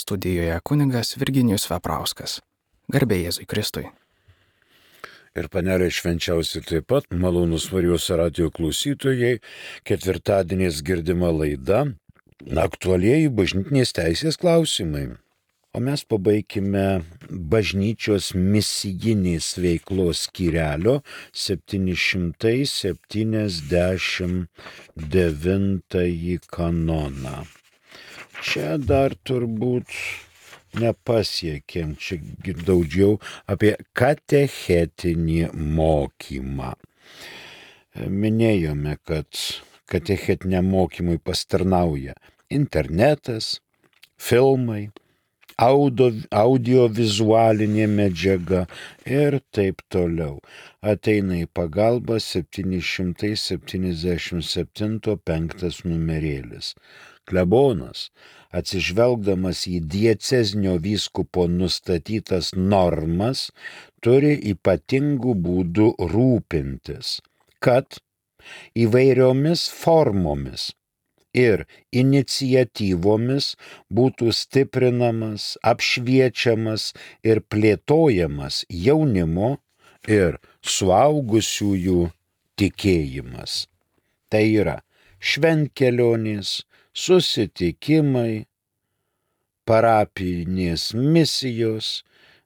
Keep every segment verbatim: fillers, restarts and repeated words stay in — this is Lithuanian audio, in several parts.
Studijoje kunigas Virginijus Veprauskas. Garbė Jėzui Kristui. Ir panelė švenčiausi taip pat, malonus Marijos radijo klausytojai, ketvirtadieniais girdima laida aktualieji bažnytinės teisės klausimai. O mes pabaikime bažnyčios misijinės veiklos skyrelio septyni šimtai septyniasdešimt devintąjį kanoną. Čia dar turbūt nepasiekėm, čia daugiau apie katechetinį mokymą. Minėjome, kad katechetiniam mokymui pastarnauja internetas, filmai, audio, audiovizualinė medžiaga ir taip toliau. Ateina į pagalbą septyni šimtai septyniasdešimt septinto penktas numerėlis. Klebonas, atsižvelgdamas į diecezinio vyskupo nustatytas normas, turi ypatingų būdų rūpintis, kad įvairiomis formomis ir iniciatyvomis būtų stiprinamas, apšviečiamas ir plėtojamas jaunimo ir suaugusiųjų tikėjimas. Tai yra šventkelionės, susitikimai, parapinės misijos,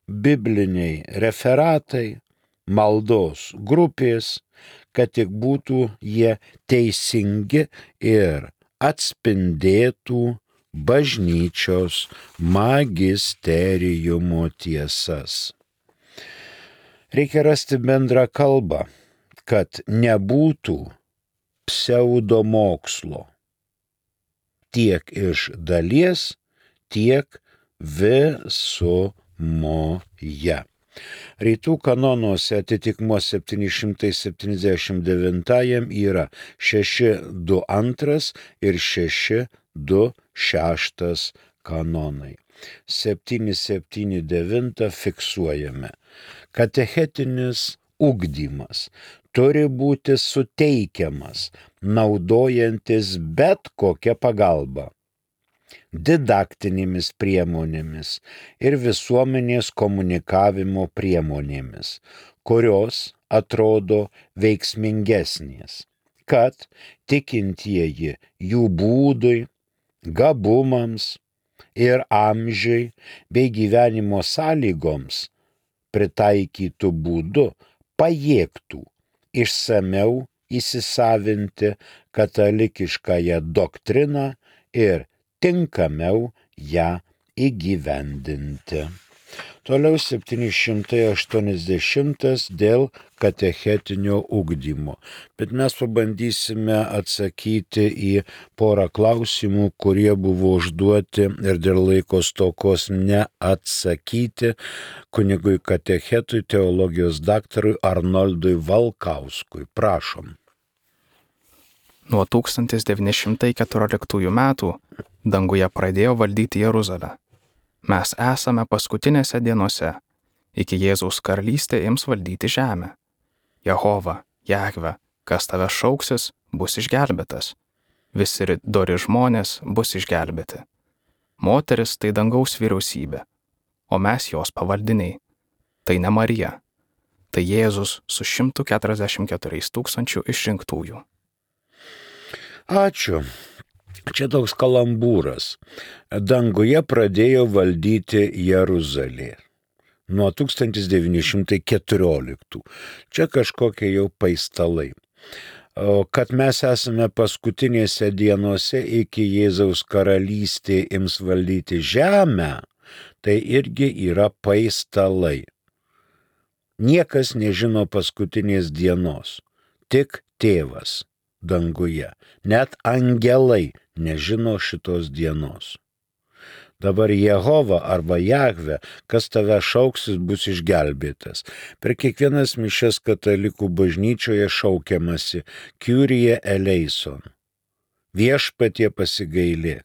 bibliniai referatai, maldos grupės, kad tik būtų jie teisingi ir atspindėtų bažnyčios magisteriumo tiesas. Reikia rasti bendrą kalbą, kad nebūtų pseudomokslo. Tiek iš dalies, tiek visumoje. Rytų kanonuose atitikmuo septyni šimtai septyniasdešimt devintajam yra šeši du antras ir šeši du šeštas kanonai. septyni septyni devyni fiksuojame. Katechetinis ugdymas turi būti suteikiamas, naudojantis bet kokią pagalbą, didaktinėmis priemonėmis ir visuomenės komunikavimo priemonėmis, kurios atrodo veiksmingesnės, kad tikintieji jų būdui, gabumams ir amžiui bei gyvenimo sąlygoms pritaikytų būdu pajėgtų išsamiau įsisavinti katalikiškąją doktriną ir tinkamiau ją įgyvendinti. Toliau septyni šimtai aštuoniasdešimtas dėl katechetinio ugdymo. Bet mes pabandysime atsakyti į porą klausimų, kurie buvo užduoti ir dėl laiko stokos neatsakyti kunigui katechetui, teologijos daktarui Arnoldui Valkauskui. Prašom. Nuo tūkstantis devyni šimtai keturioliktųjų metų danguje pradėjo valdyti Jeruzalę. Mes esame paskutinėse dienose, iki Jėzaus karalystė ims valdyti žemę. Jehova, Jahve, kas tave šauksis, bus išgelbėtas. Visi dori žmonės bus išgelbėti. Moteris tai dangaus vyriausybė, o mes jos pavaldiniai. Tai ne Marija, tai Jėzus su šimtu keturiasdešimt keturiais tūkstančių išrinktųjų. Ačiū. Čia toks kalambūras. Danguje pradėjo valdyti Jeruzalė nuo tūkstantis devyni šimtai keturioliktų. Čia kažkokie jau paistalai. O kad mes esame paskutinėse dienose iki Jėzaus karalystė ims valdyti žemę, tai irgi yra paistalai. Niekas nežino paskutinės dienos, tik tėvas danguje. Net angelai nežino šitos dienos. Dabar Jehova arba Jahve, kas tave šauksis, bus išgelbėtas. Per kiekvienas mišias katalikų bažnyčioje šaukiamasi Kyrie eleison. Viešpatie pasigailėk.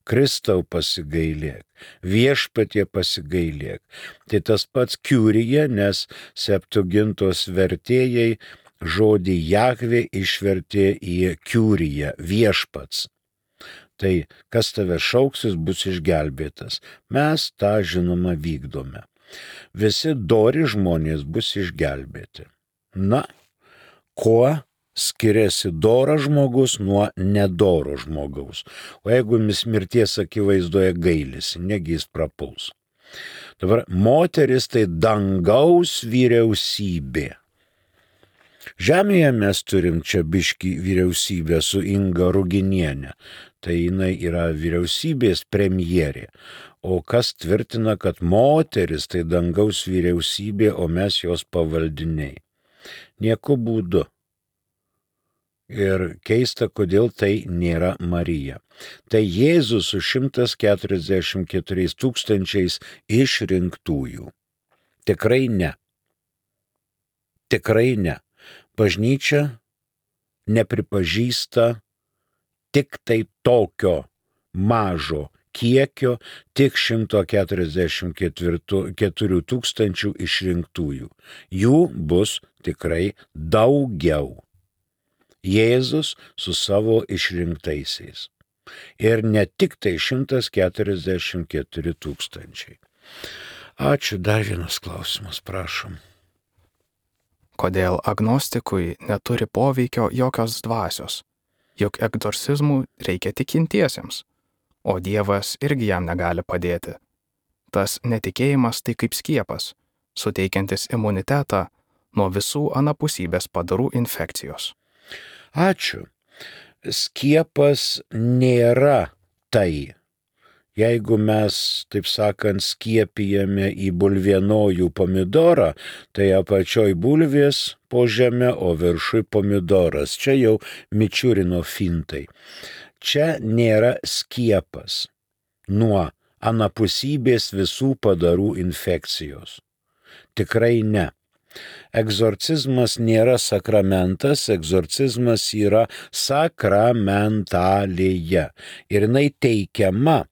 Kristau pasigailėk, viešpatie pasigailėk. Tai tas pats Kyrie, nes Septuagintos vertėjai žodį Jahvė išvertė į Kyrie, viešpats. Tai kas tave šauksis, bus išgelbėtas. Mes tą žinoma vykdome. Visi dori žmonės bus išgelbėti. Na, kuo skiriasi doras žmogus nuo nedoro žmogaus? O jeigu mis mirties akivaizdoje gailisi, negi jis prapuls. Dabar moteris tai dangaus vyriausybė. Žemėje mes turim čia biškį vyriausybę su Inga Ruginienė. Tai jinai yra vyriausybės premjerė. O kas tvirtina, kad moteris tai dangaus vyriausybė, o mes jos pavaldiniai? Nieku būdu. Ir keista, kodėl tai nėra Marija. Tai Jėzus su šimtas keturiasdešimt keturiais tūkstančiais išrinktųjų. Tikrai ne. Tikrai ne. Bažnyčia nepripažįsta tik tai tokio mažo kiekio, tik šimtas keturiasdešimt keturių tūkstančių išrinktųjų. Jų bus tikrai daugiau. Jėzus su savo išrinktaisiais. Ir ne tik tai šimtas keturiasdešimt keturi tūkstančiai. Ačiū, dar vienas klausimas, prašom. Kodėl agnostikui neturi poveikio jokios dvasios? Juk egzorcizmų reikia tikintiesiems, o Dievas irgi jam negali padėti. Tas netikėjimas tai kaip skiepas, suteikiantis imunitetą nuo visų anapusybės padarų infekcijos. Ačiū. Skiepas nėra tai. Jeigu mes, taip sakant, skiepijame į bulvienojų pomidorą, tai apačioj bulvės po žemę, o viršui pomidoras. Čia jau Mičiurino fintai. Čia nėra skiepas nuo anapusybės visų padarų infekcijos. Tikrai ne. Egzorcizmas nėra sakramentas, egzorcizmas yra sakramentalija. Ir jinai teikiama,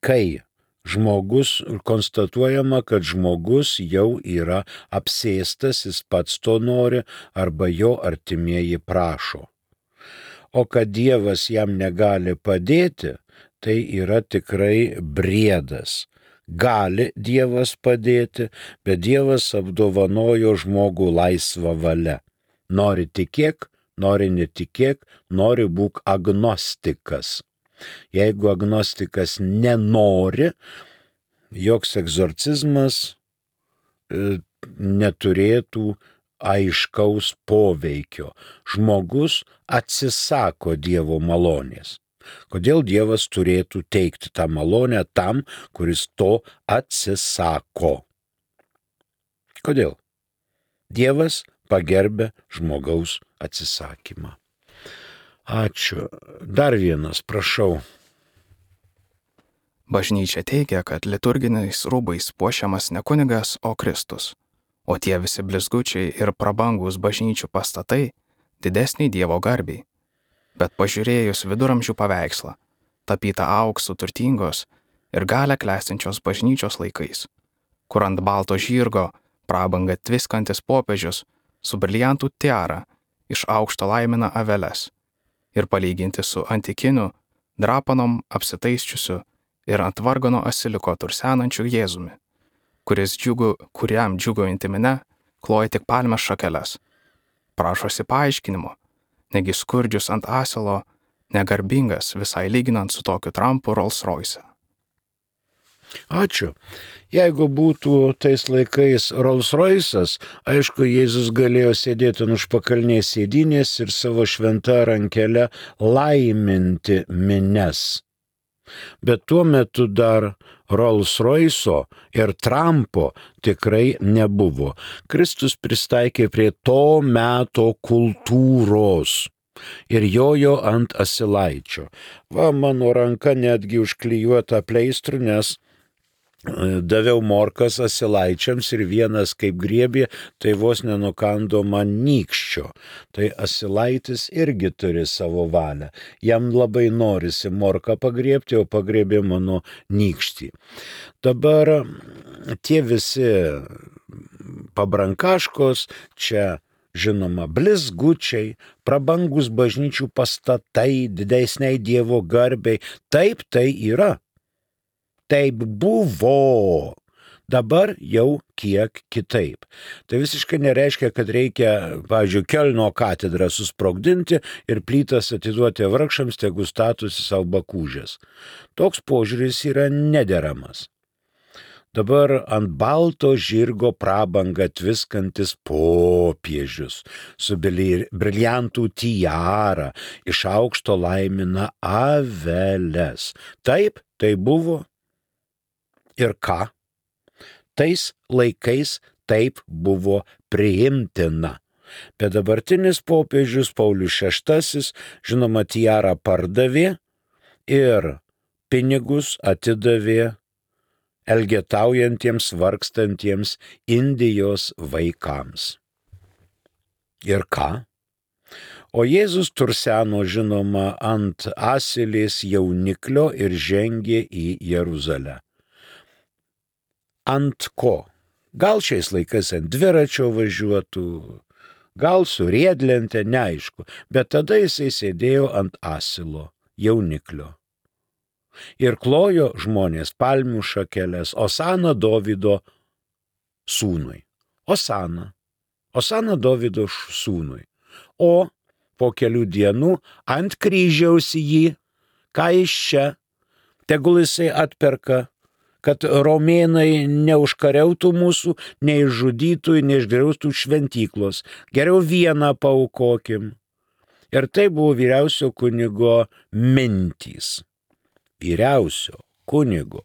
kai žmogus, konstatuojama, kad žmogus jau yra apsėstas, jis pats to nori, arba jo artimieji prašo. O kad Dievas jam negali padėti, tai yra tikrai briedas. Gali Dievas padėti, bet Dievas apdovanojo žmogų laisvą valią. Nori tikėk, nori netikėk, nori būk agnostikas. Jeigu agnostikas nenori, joks egzorcizmas e, neturėtų aiškaus poveikio. Žmogus atsisako Dievo malonės. Kodėl Dievas turėtų teikti tą malonę tam, kuris to atsisako? Kodėl? Dievas pagerbė žmogaus atsisakymą. Ačiū. Dar vienas, prašau. Bažnyčia teigia, kad liturginiais rūbais puošiamas ne kunigas, o Kristus. O tie visi blizgučiai ir prabangus bažnyčių pastatai didesniai Dievo garbiai. Bet pažiūrėjus viduramžių paveikslą, tapytą auksu turtingos ir galią klestinčios bažnyčios laikais, kur ant balto žirgo prabangą tviskantis popiežius su briliantų tiara iš aukšto laimina aveles, ir palyginti su antikiniu, drapanom apsitaisčiusiu ir ant vargano asiliko tursenančiu Jėzumi, kuris džiugu, kuriam džiugaujantį mine kloja tik palmės šakeles. Prašosi paaiškinimo, negi skurdžius ant asilo, negarbingas visai lyginant su tokiu Trumpu Rolls Royce. Ačiū. Jeigu būtų tais laikais Rolls Royce'as, aišku, Jėzus galėjo sėdėti ant užpakalnės sėdynės ir savo šventą rankelę laiminti mines. Bet tuo metu dar Rolls Royce'o ir Trumpo tikrai nebuvo. Kristus pristaikė prie to meto kultūros ir jojo ant asilaičio. Va, mano ranka netgi užklijuota pleistru, nes daviau morkas asilaičiams ir vienas kaip griebė, tai vos nenukando man nykščio. Tai asilaitis irgi turi savo valią. Jam labai norisi morką pagriebti, o pagriebė mano nykštį. Dabar tie visi pabrankaškos, čia žinoma, blizgučiai, prabangus bažnyčių pastatai, didesniai Dievo garbei. Taip tai yra. Taip buvo. Dabar jau kiek kitaip. Tai visiškai nereiškia, kad reikia, pavyzdžiui, Kelno katedrą susprogdinti ir plytas atiduoti vargšams, tegu statosi savo bakūžės. Toks požiūris yra nederamas. Dabar ant balto žirgo prabangą tviskantis popiežius su briliantų tiara iš aukšto laimina aveles. Taip, tai buvo. Ir ką? Tais laikais taip buvo priimtina. Bet dabartinis popiežius Paulius šeštasis, žinoma, tiarą pardavė ir pinigus atidavė elgetaujantiems, vargstantiems Indijos vaikams. Ir ką? O Jėzus turseno, žinoma, ant asilės jauniklio ir žengė į Jeruzalę. Ant ko? Gal šiais laikais ant dviračio važiuotų, gal su riedlente, neaišku, bet tada jisai sėdėjo ant asilo jauniklio. Ir klojo žmonės palmių šakeles, Osana Dovydo sūnui. Osana. Osana Dovydo sūnui. O po kelių dienų ant kryžiaus jį, ką iš čia, tegul jisai atperka, kad romėnai neužkariautų mūsų, neižžudytų ir neišgriaustų šventyklos. Geriau vieną paaukokim. Ir tai buvo vyriausio kunigo mintys. Vyriausio kunigo,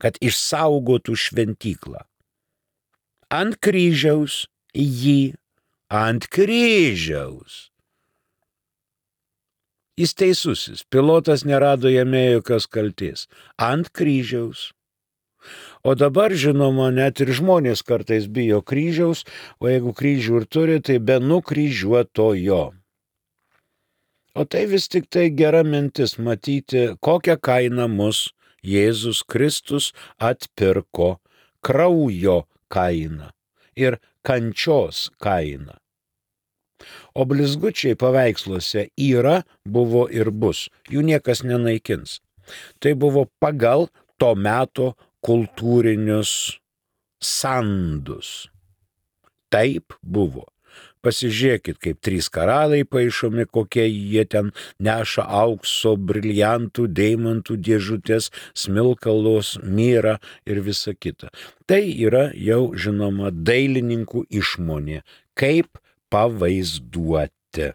kad išsaugotų šventyklą. Ant kryžiaus jį, ant kryžiaus. Jis teisusis, pilotas nerado jame jokios kaltės. Ant kryžiaus. O dabar, žinoma, net ir žmonės kartais bijo kryžiaus, o jeigu kryžių ir turi, tai be nukryžiuotojo. O tai vis tik tai gera mintis matyti, kokią kainą mus Jėzus Kristus atpirko, kraujo kainą ir kančios kainą. O blizgučiai paveiksluose yra, buvo ir bus, jų niekas nenaikins. Tai buvo pagal to meto kultūrinius sandus. Taip buvo. Pasižiūrėkit, kaip trys karaliai paišomi, kokie jie ten neša aukso, briliantų, deimantų dėžutės, smilkalos, myrą ir visa kita. Tai yra jau, žinoma, dailininkų išmonė, kaip pavaizduoti.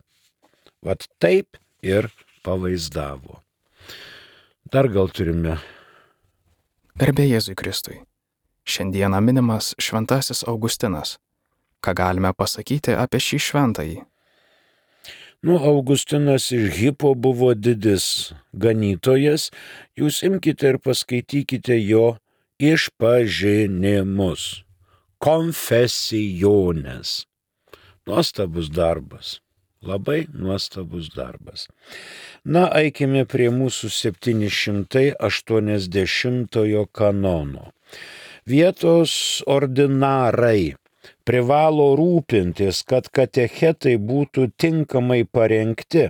Vat taip ir pavaizdavo. Dar gal turime. Garbė Jėzui Kristui. Šiandieną minimas šventasis Augustinas. Ką galime pasakyti apie šį šventąjį? Nu, Augustinas iš Hippo buvo didis ganytojas. Jūs imkite ir paskaitykite jo išpažinimus. Konfesijones. Nuostabus darbas. Labai nuostabus darbas. Na, eikime prie mūsų septyni šimtai aštuoniasdešimtojo kanono. Vietos ordinarai privalo rūpintis, kad katechetai būtų tinkamai parengti,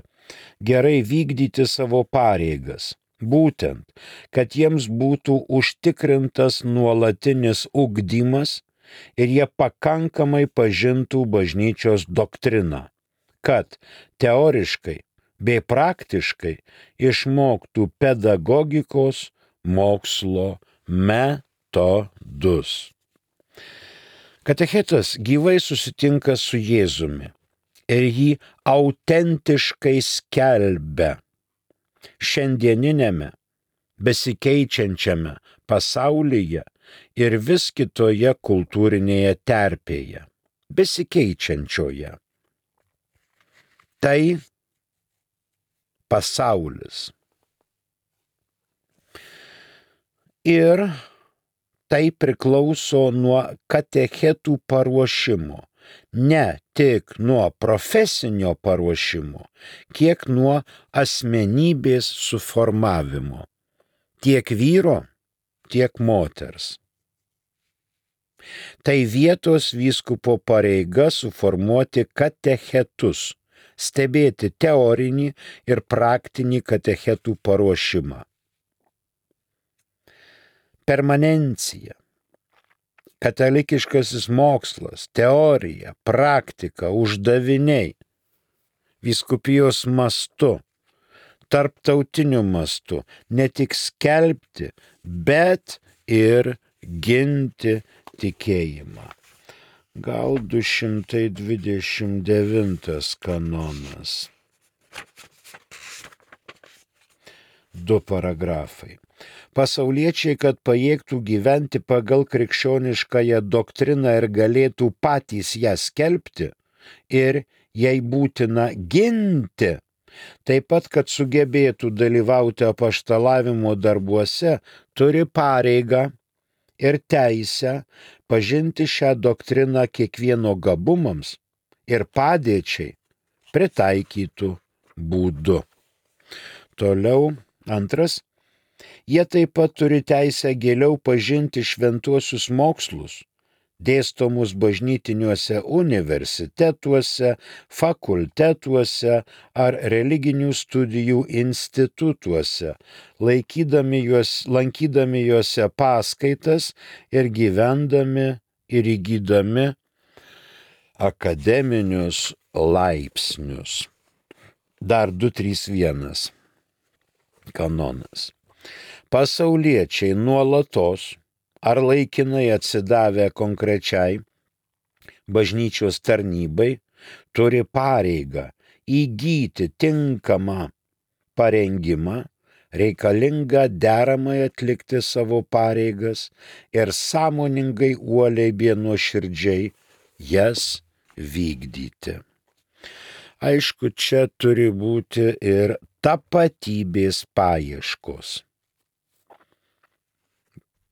gerai vykdyti savo pareigas. Būtent, kad jiems būtų užtikrintas nuolatinis ugdymas ir jie pakankamai pažintų bažnyčios doktriną, kad teoriškai bei praktiškai išmoktų pedagogikos mokslo metodus. Katechetas gyvai susitinka su Jėzumi ir jį autentiškai skelbia šiandieninėme, besikeičiančiame pasaulyje ir vis kitoje kultūrinėje terpėje, besikeičiančioje. Tai pasaulis. Ir tai priklauso nuo katechetų paruošimo, ne tik nuo profesinio paruošimo, kiek nuo asmenybės suformavimo, tiek vyro, tiek moters. Tai vietos vyskupo pareiga suformuoti katechetus, stebėti teorinį ir praktinį katechetų paruošimą. Permanencija, katalikiškasis mokslas, teorija, praktika, uždaviniai, vyskupijos mastu, tarptautiniu mastu, ne tik skelbti, bet ir ginti tikėjimą. Gal du šimtai dvidešimt devintas kanonas. Du paragrafai. Pasauliečiai, kad pajėgtų gyventi pagal krikščioniškąją doktriną ir galėtų patys ją skelbti ir jei būtina ginti, taip pat, kad sugebėtų dalyvauti apaštalavimo darbuose, turi pareigą ir teisę pažinti šią doktriną kiekvieno gabumams ir padėčiai pritaikytų būdu. Toliau antras. Jie taip pat turi teisę giliau pažinti šventuosius mokslus, dėstomus bažnytiniuose universitetuose, fakultetuose ar religinių studijų institutuose, laikydami juos, lankydami juose paskaitas ir gyvendami ir įgydami akademinius laipsnius. Dar du trys vienas kanonas. Pasauliečiai nuolatos ar laikinai atsidavę konkrečiai bažnyčios tarnybai turi pareigą įgyti tinkamą parengimą, reikalingą deramai atlikti savo pareigas ir sąmoningai uoliai bei nuoširdžiai jas vykdyti. Aišku, čia turi būti ir tapatybės paieškos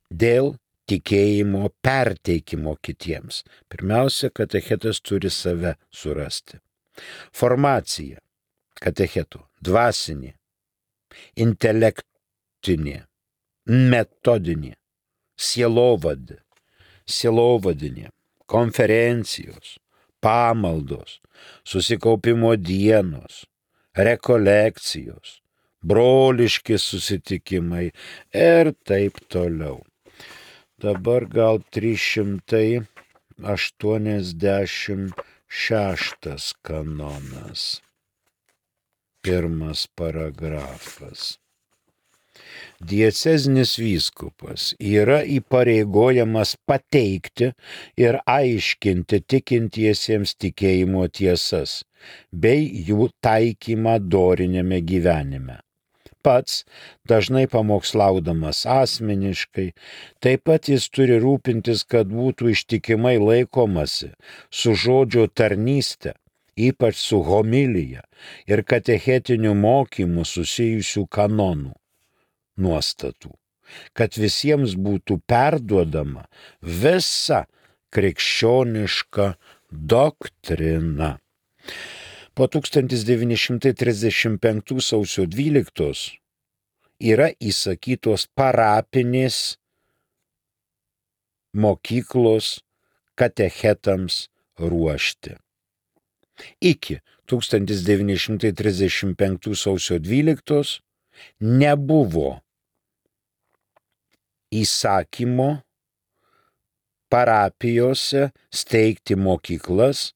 dėl tikėjimo perteikimo kitiems. Pirmiausia, katechetas turi save surasti. Formacija katechetų dvasinė, intelektinė, metodinė, sielovadė, sielovadinė, konferencijos, pamaldos, susikaupimo dienos, rekolekcijos, broliški susitikimai ir taip toliau. Dabar gal trys šimtai aštuoniasdešimt šeštas kanonas. Pirmas paragrafas. Diecezinis vyskupas yra įpareigojamas pateikti ir aiškinti tikintiesiems tikėjimo tiesas bei jų taikymą doriniame gyvenime. Pats, dažnai pamokslaudamas asmeniškai, taip pat jis turi rūpintis, kad būtų ištikimai laikomasi su žodžio tarnyste, ypač su homilija ir katechetiniu mokymu susijusių kanonų nuostatų, kad visiems būtų perduodama visa krikščioniška doktrina. Po tūkstantis devyni šimtai trisdešimt penktų sausio dvyliktos yra įsakytos parapinės mokyklos katechetams ruošti. Iki tūkstantis devyni šimtai trisdešimt penktų sausio dvyliktos nebuvo įsakymo parapijose steigti mokyklas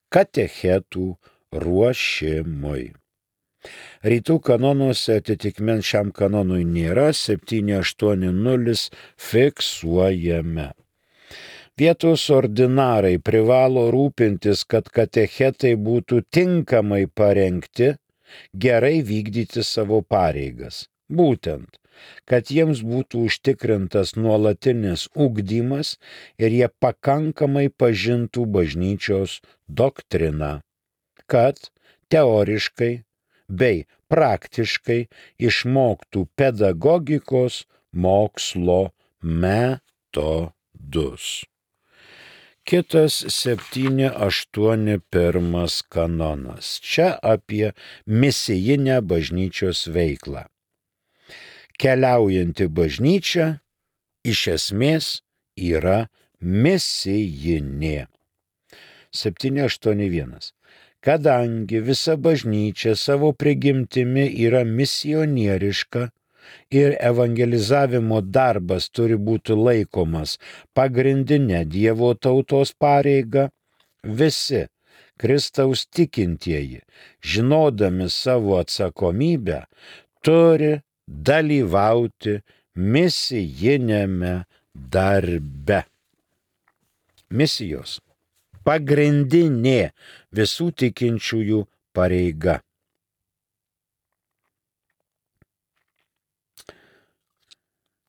katechetų ruošimui. Rytų kanonuose atitikmens šiam kanonui nėra, septyni aštuoni nulis fiksuojame. Vietos ordinarai privalo rūpintis, kad katechetai būtų tinkamai parengti, gerai vykdyti savo pareigas. Būtent, kad jiems būtų užtikrintas nuolatinis ugdymas ir jie pakankamai pažintų bažnyčios doktriną, kad teoriškai bei praktiškai išmoktų pedagogikos mokslo metodus. Kitas septyni aštuoni pirmas kanonas. Čia apie misijinę bažnyčios veiklą. Keliaujanti bažnyčia iš esmės yra misijinė. septyni aštuoni vienas. Kadangi visa bažnyčia savo prigimtimi yra misionieriška ir evangelizavimo darbas turi būti laikomas pagrindinė Dievo tautos pareiga, visi Kristaus tikintieji, žinodami savo atsakomybę, turi dalyvauti misijinėme darbe. Misijos pagrindinė visų tikinčiųjų pareiga.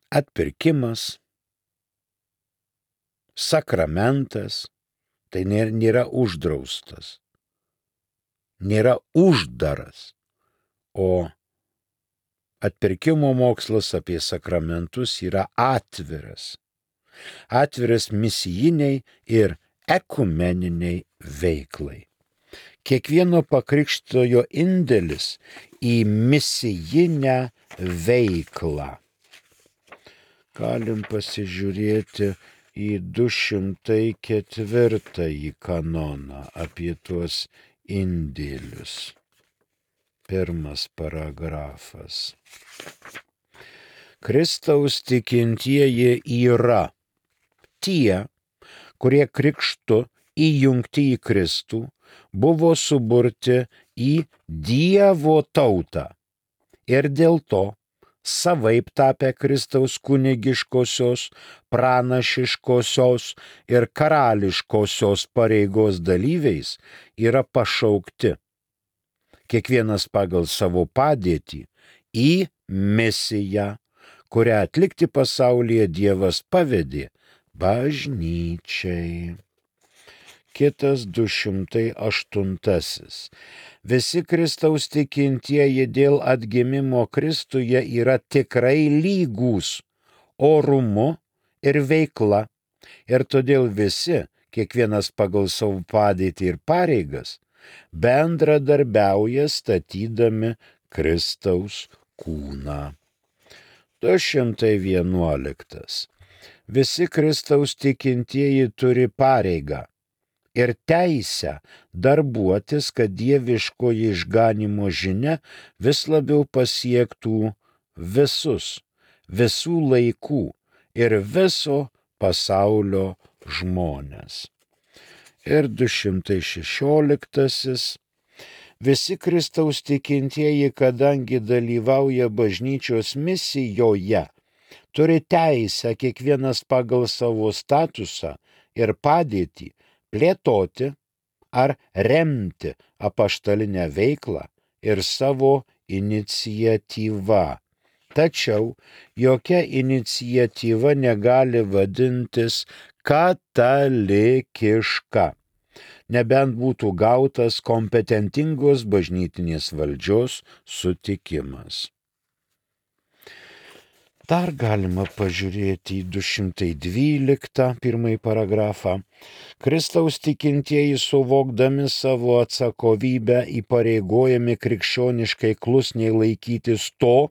Atpirkimas, sakramentas, tai nėra uždraustas, nėra uždaras, o atpirkimo mokslas apie sakramentus yra atviras. Atviras misijiniai ir ekumeniniai veiklai. Kiekvieno pakrikštojo indėlis į misijinę veiklą. Galim pasižiūrėti į du šimtai ketvirtąjį kanoną apie tuos indėlius. Pirmas paragrafas. Kristaus tikintieji yra tie, kurie krikštu įjungti į Kristų, buvo suburti į Dievo tautą ir dėl to savaip tapę Kristaus kunigiškosios, pranašiškosios ir karališkosios pareigos dalyviais yra pašaukti, kiekvienas pagal savo padėtį, į misiją, kurią atlikti pasaulyje Dievas pavedė bažnyčiai. Kitas du šimtai aštuntasis. Visi Kristaus tikintieji dėl atgimimo Kristuje yra tikrai lygūs orumu ir veikla, ir todėl visi, kiekvienas pagal savo padėtį ir pareigas, bendradarbiauja statydami Kristaus kūną. du šimtai vienuoliktas. Visi Kristaus tikintieji turi pareigą ir teisę darbuotis, kad dieviškoji išganymo žinia vis labiau pasiektų visus, visų laikų ir viso pasaulio žmones. Ir du šimtai šešioliktasis. Visi Kristaus tikintieji, kadangi dalyvauja bažnyčios misijoje, turi teisę kiekvienas pagal savo statusą ir padėtį plėtoti ar remti apaštalinę veiklą ir savo iniciatyvą. Tačiau jokia iniciatyva negali vadintis katalikiška, nebent būtų gautas kompetentingos bažnytinės valdžios sutikimas. Dar galima pažiūrėti į du šimtai dvyliktą pirmąjį paragrafą. Kristaus tikintieji, suvokdami savo atsakomybę, įpareigojami krikščioniškai klusniai laikytis to,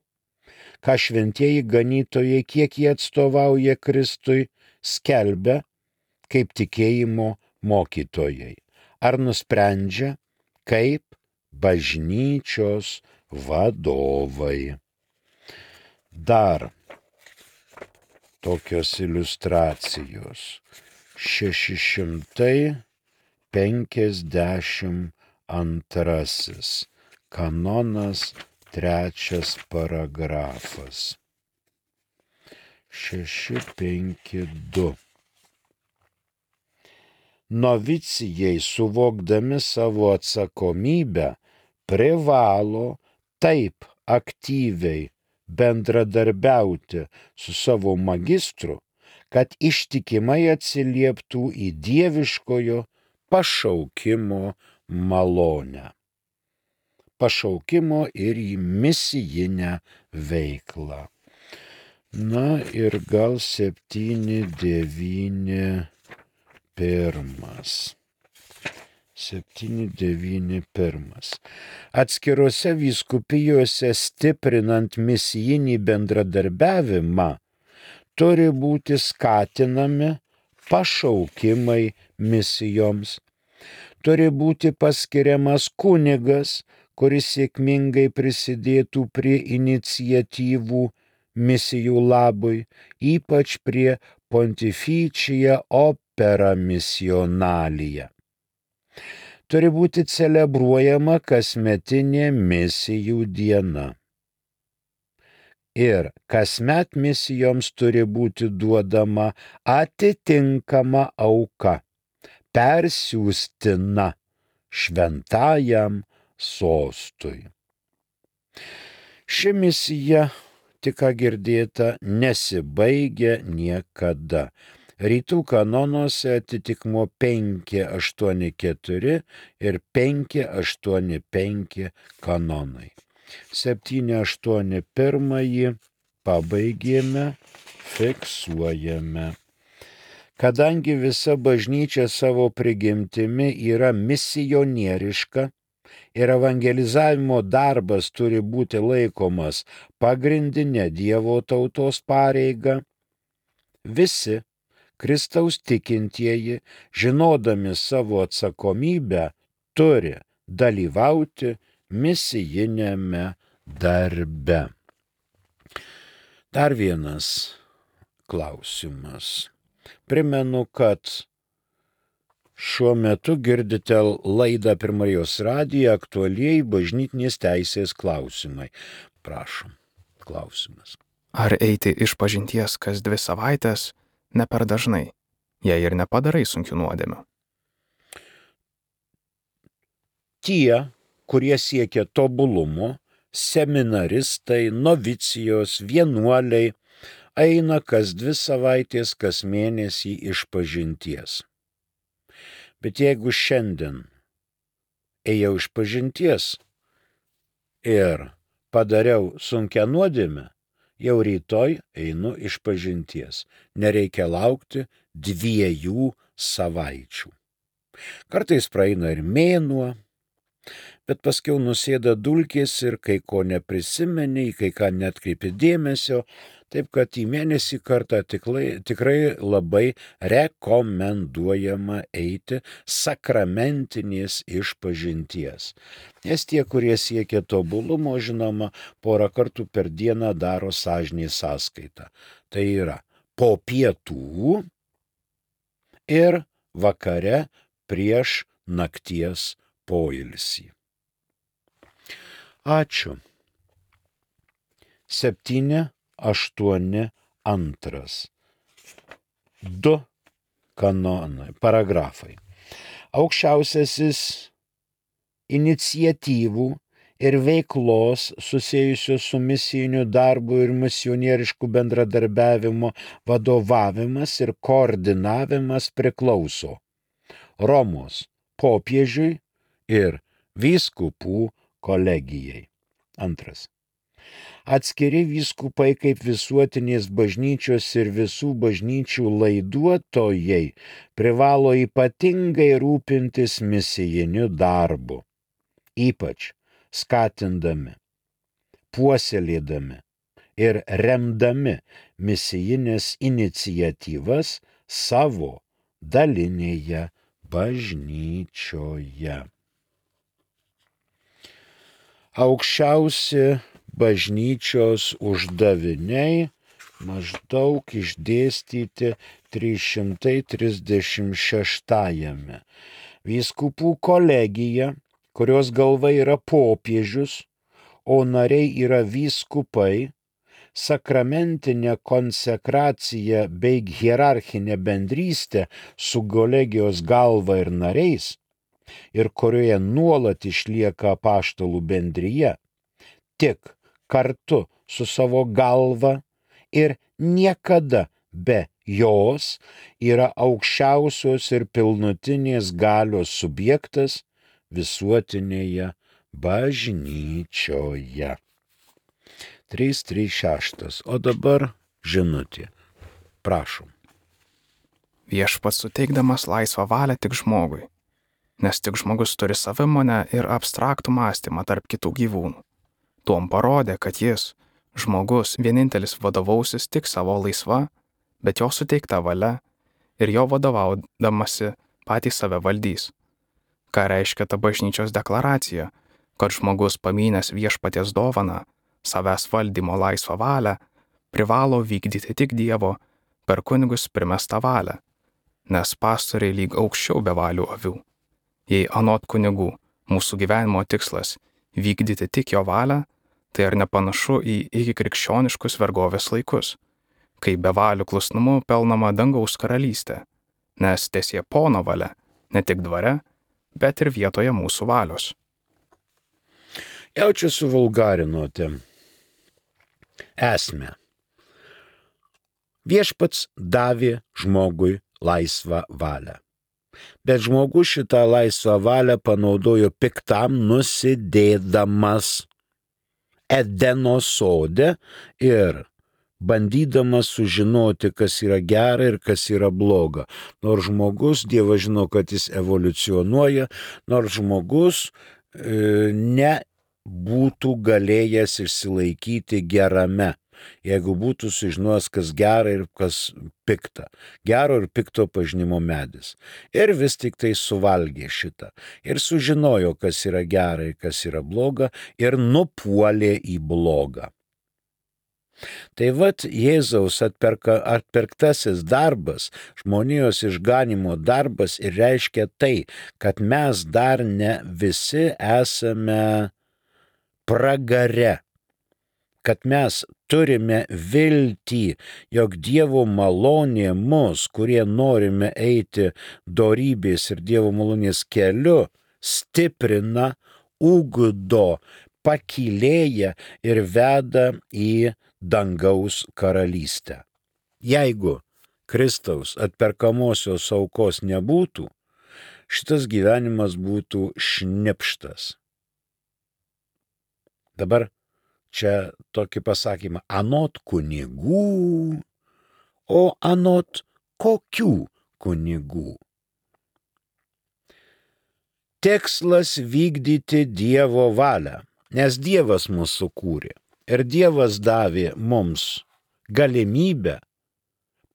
ką šventieji ganytojai, kiek jie atstovauja Kristui, skelbia kaip tikėjimo mokytojai, ar nusprendžia kaip bažnyčios vadovai. Dar tokios iliustracijos. šeši šimtai penkiasdešimt antrasis kanonas, trečias paragrafas. šeši penki du. Novicijai, suvokdami savo atsakomybę, privalo taip aktyviai bendradarbiauti su savo magistru, kad ištikimai atsilieptų į dieviškojo pašaukimo malonę. Pašaukimo ir į misijinę veiklą. Na ir gal septyni devyni pirmas. septyni devyni pirmas. Atskirose vyskupijose stiprinant misijinį bendradarbiavimą turi būti skatinami pašaukimai misijoms. Turi būti paskiriamas kunigas, kuris sėkmingai prisidėtų prie iniciatyvų misijų labui, ypač prie Pontificia Opera Missionalia. Turi būti celebruojama kasmetinė misijų diena. Ir kasmet misijoms turi būti duodama atitinkama auka, persiųstina šventajam sostui. Ši misija, tik ką girdėta, nesibaigia niekada. Rytų kanonuose atitikmuo penki aštuoni keturi ir penki aštuoni penki kanonai. septyni aštuoni pirmąjį pabaigėme, fiksuojame. Kadangi visa bažnyčia savo prigimtimi yra misionieriška ir evangelizavimo darbas turi būti laikomas pagrindinė Dievo tautos pareiga, visi Kristaus tikintieji, žinodami savo atsakomybę, turi dalyvauti misijinėme darbe. Dar vienas klausimas. Primenu, kad šiuo metu girdite laidą per Marijos radiją aktualieji bažnytinės teisės klausimai. Prašom, klausimas. Ar eiti išpažinties kas dvi savaitės ne per dažnai, jei ir nepadarai sunkių nuodėmių? Tie, kurie siekia tobulumo, seminaristai, novicijos, vienuoliai, eina kas dvi savaitės, kas mėnesį išpažinties. Bet jeigu šiandien ėjau išpažinties ir padariau sunkią nuodėmę, jau rytoj einu išpažinties. Nereikia laukti dviejų savaičių. Kartais praeina ir mėnuo, bet paskiau nusėda dulkės ir kai ko neprisimeni, kai ką netkreipi dėmesio, taip kad į mėnesį kartą tikrai, tikrai labai rekomenduojama eiti sakramentinės išpažinties. Nes tie, kurie siekia tobulumo, žinoma, porą kartų per dieną daro sąžinės sąskaitą. Tai yra po pietų ir vakare prieš nakties poilsį. Ačiū. Septyni, aštuoni, antras. Du kanonai, paragrafai. Aukščiausiasis iniciatyvų ir veiklos susijusios su misijiniu darbu ir misionierišku bendradarbiavimu vadovavimas ir koordinavimas priklauso Romos popiežiui ir vyskupų kolegijai. Antras. Atskiri vyskupai kaip visuotinės bažnyčios ir visų bažnyčių laiduotojai privalo ypatingai rūpintis misijiniu darbu, ypač skatindami, puoselėdami ir remdami misijinės iniciatyvas savo dalinėje bažnyčioje. Aukščiausi bažnyčios uždaviniai maždaug išdėstyti trys šimtai trisdešimt šeštajame. Vyskupų kolegija, kurios galva yra popiežius, o nariai yra vyskupai, sakramentinė konsekracija bei hierarchinė bendrystė su kolegijos galva ir nariais, ir kurioje nuolat išlieka apaštalų bendrija, tik kartu su savo galva ir niekada be jos yra aukščiausios ir pilnutinės galios subjektas visuotinėje bažnyčioje. trys trys šeši. O dabar žinutė. Prašom. Viešpats suteikdamas laisvą valią tik žmogui, nes tik žmogus turi savimonę ir abstraktų mąstymą tarp kitų gyvūnų. Tuom parodė, kad jis, žmogus, vienintelis vadovausis tik savo laisva, bet jo suteikta valia ir jo vadovaudamasi patys save valdys. Ką reiškia ta bažnyčios deklaracija, kad žmogus pamynęs viešpaties dovaną, savęs valdymo laisvą valią, privalo vykdyti tik Dievo per kunigus primestą valią, nes pastoriai lyg aukščiau bevalių avių. Jei anot kunigų mūsų gyvenimo tikslas vykdyti tik jo valią, tai ar nepanašu į iki krikščioniškus vergovės laikus, kai bevalių klusnumu pelnama dangaus karalystė, nes tesie pono valia, ne tik dvare, bet ir vietoje mūsų valios. Jau čia suvulgarinote esmę. Viešpats davė žmogui laisvą valią. Bet žmogus šitą laisvą valią panaudojo piktam nusidėdamas Edeno sode ir bandydamas sužinoti, kas yra gera ir kas yra bloga. Nors žmogus, Dievas žino, kad jis evoliucionuoja, nors žmogus e, nebūtų galėjęs išsilaikyti gerame, jeigu būtų sužinojęs, kas gera ir kas pikta. Gero ir pikto pažinimo medis. Ir vis tik tai suvalgė šitą. Ir sužinojo, kas yra gera ir kas yra bloga, ir nupuolė į blogą. Tai vat Jėzaus atperka, atperktasis darbas, žmonijos išganimo darbas ir reiškia tai, kad mes dar ne visi esame pragare, kad mes turime viltį, jog Dievo malonė mus, kurie norime eiti dorybės ir Dievo malonės keliu, stiprina, ugdo, pakylėja ir veda į dangaus karalystę. Jeigu Kristaus atperkamosios aukos nebūtų, šitas gyvenimas būtų šnipštas. Dabar čia tokį pasakymą, anot kunigų, o anot kokių kunigų? Tikslas vykdyti Dievo valią, nes Dievas mus sukūrė ir Dievas davė mums galimybę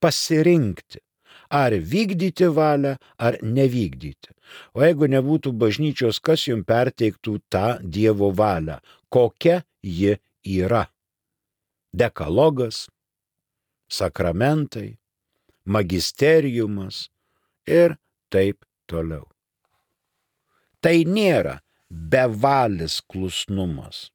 pasirinkti, ar vykdyti valią, ar nevykdyti. O jeigu nebūtų bažnyčios, kas jums perteiktų tą Dievo valią, kokia ji yra? Dekalogas, sakramentai, magisteriumas ir taip toliau. Tai nėra bevalis klusnumas.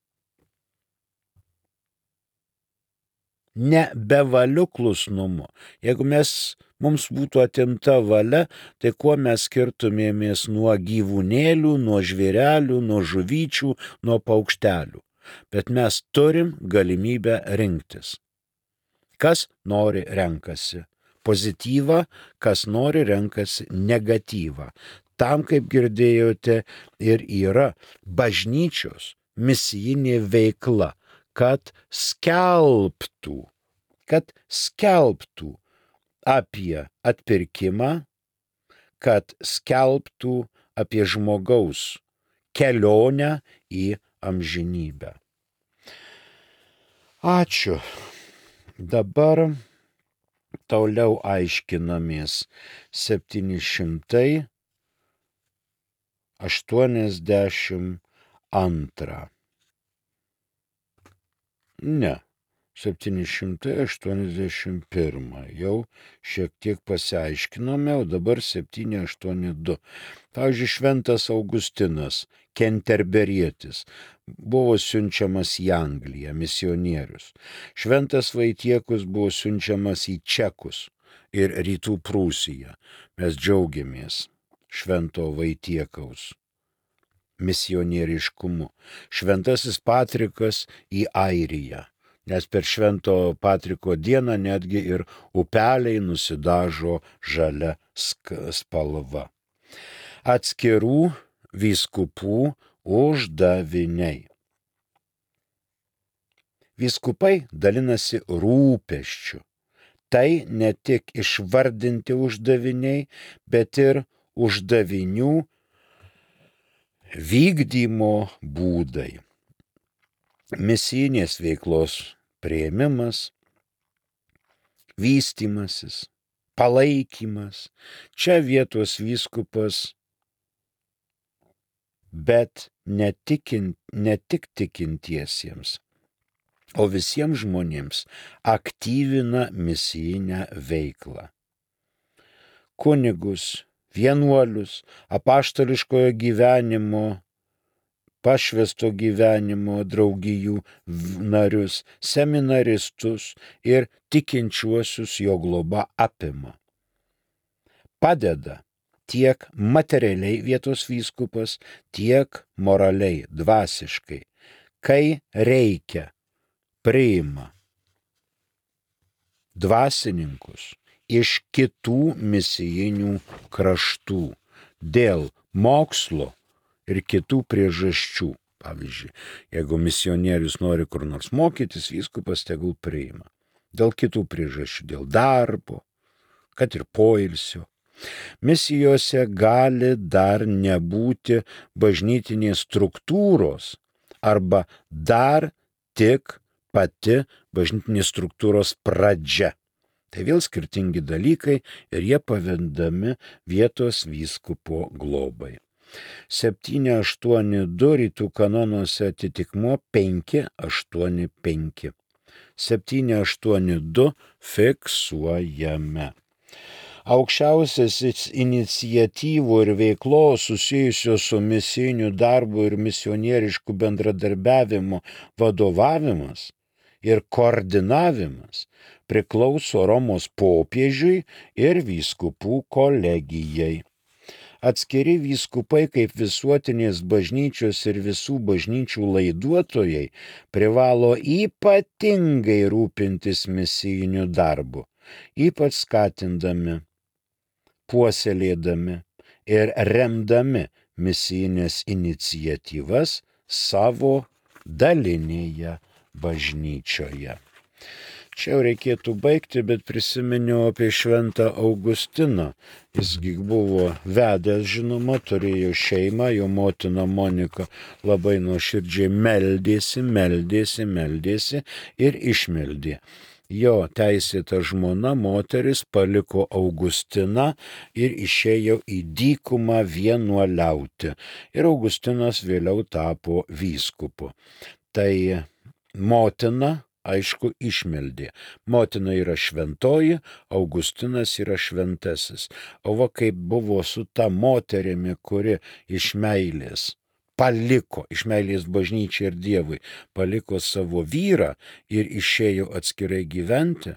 Ne bevaliu klusnumu. Jeigu mes, mums būtų atimta valia, tai kuo mes skirtumėmės nuo gyvūnėlių, nuo žvėrelių, nuo žuvyčių, nuo paukštelių. Bet mes turim galimybę rinktis. Kas nori renkasi pozityvą, kas nori renkasi negatyvą. Tam, kaip girdėjote, ir yra bažnyčios misijinė veikla, kad skelbtų, kad skelbtų apie atpirkimą, kad skelbtų apie žmogaus kelionę į amžinybę. Ačiū. Dabar toliau aiškinamės septyni šimtai aštuoniasdešimt antrą. Ne, septyni šimtai aštuoniasdešimt pirmą. Jau šiek tiek pasiaiškinome, o dabar septyni aštuoni du. Pavyzdžiui, šventas Augustinas, kenterberietis, buvo siunčiamas į Angliją, misionierius. Šventas Vaitiekus buvo siunčiamas į Čekus ir Rytų Prūsiją. Mes džiaugiamės švento Vaitiekaus misionieriškumu. Šventasis Patrikas į Airiją, nes per švento Patriko dieną netgi ir upeliai nusidažo žalia spalva. Atskirų vyskupų uždaviniai. Vyskupai dalinasi rūpesčiu. Tai ne tik išvardinti uždaviniai, bet ir uždavinių vykdymo būdai. Misijinės veiklos priėmimas, vystymasis, palaikymas. Čia vietos vyskupas, bet ne, tikint, ne tik tikintiesiems, o visiems žmonėms aktyvina misijinę veiklą. Kunigus, vienuolius, apaštališkojo gyvenimo, pašvęsto gyvenimo draugijų narius, seminaristus ir tikinčiuosius jo globa apima. Padeda tiek materialiai vietos vyskupas, tiek moraliai, dvasiškai. Kai reikia, priima dvasininkus iš kitų misijinių kraštų dėl mokslo ir kitų priežasčių. Pavyzdžiui, jeigu misionierius nori kur nors mokytis, vyskupas tegul priima. Dėl kitų priežasčių, dėl darbo, kad ir poilsio. Misijose gali dar nebūti bažnytinės struktūros arba dar tik pati bažnytinės struktūros pradžia. Tai vėl skirtingi dalykai ir jie pavendami vietos vyskupo globai. septyni aštuoni du rytų kanonuose atitikmuo penki aštuoni penki. septyni aštuoni du fiksuojame. Aukščiausiasis iniciatyvų ir veiklos susijusios su misijiniu darbu ir misionierišku bendradarbiavimu vadovavimas ir koordinavimas priklauso Romos popiežiui ir vyskupų kolegijai. Atskiri vyskupai kaip visuotinės bažnyčios ir visų bažnyčių laiduotojai privalo ypatingai rūpintis misijiniu darbu, ypač skatindami, puoselėdami ir remdami misijinės iniciatyvas savo dalinėje bažnyčioje. Čia jau reikėtų baigti, bet prisiminiau apie šventą Augustiną. Jisgi buvo vedęs, žinoma, turėjo šeimą, jo motina Monika labai nuoširdžiai meldėsi, meldėsi, meldėsi ir išmeldė. Jo teisėta žmona moteris paliko Augustiną ir išėjo į dykumą vienuoliauti. Ir Augustinas vėliau tapo vyskupu. Tai motina, aišku, išmeldė. Motina yra šventoji, Augustinas yra šventasis. O va kaip buvo su ta moterimi, kuri iš meilės paliko, iš meilės bažnyčiai ir Dievui, paliko savo vyrą ir išėjo atskirai gyventi,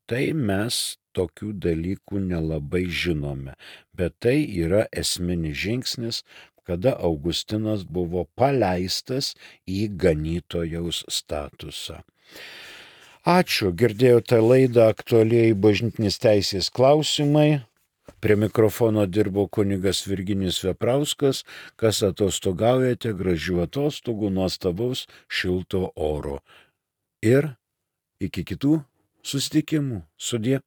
tai mes tokių dalykų nelabai žinome. Bet tai yra esminis žingsnis, kada Augustinas buvo paleistas į ganytojaus statusą. Ačiū, girdėjote laidą Aktualieji bažnytinės teisės klausimai. Prie mikrofono dirbo kunigas Virginijus Veprauskas. Kas atostogaujate, gražių atostogų, nuostabaus šilto oro. Ir iki kitų susitikimų. Sudie.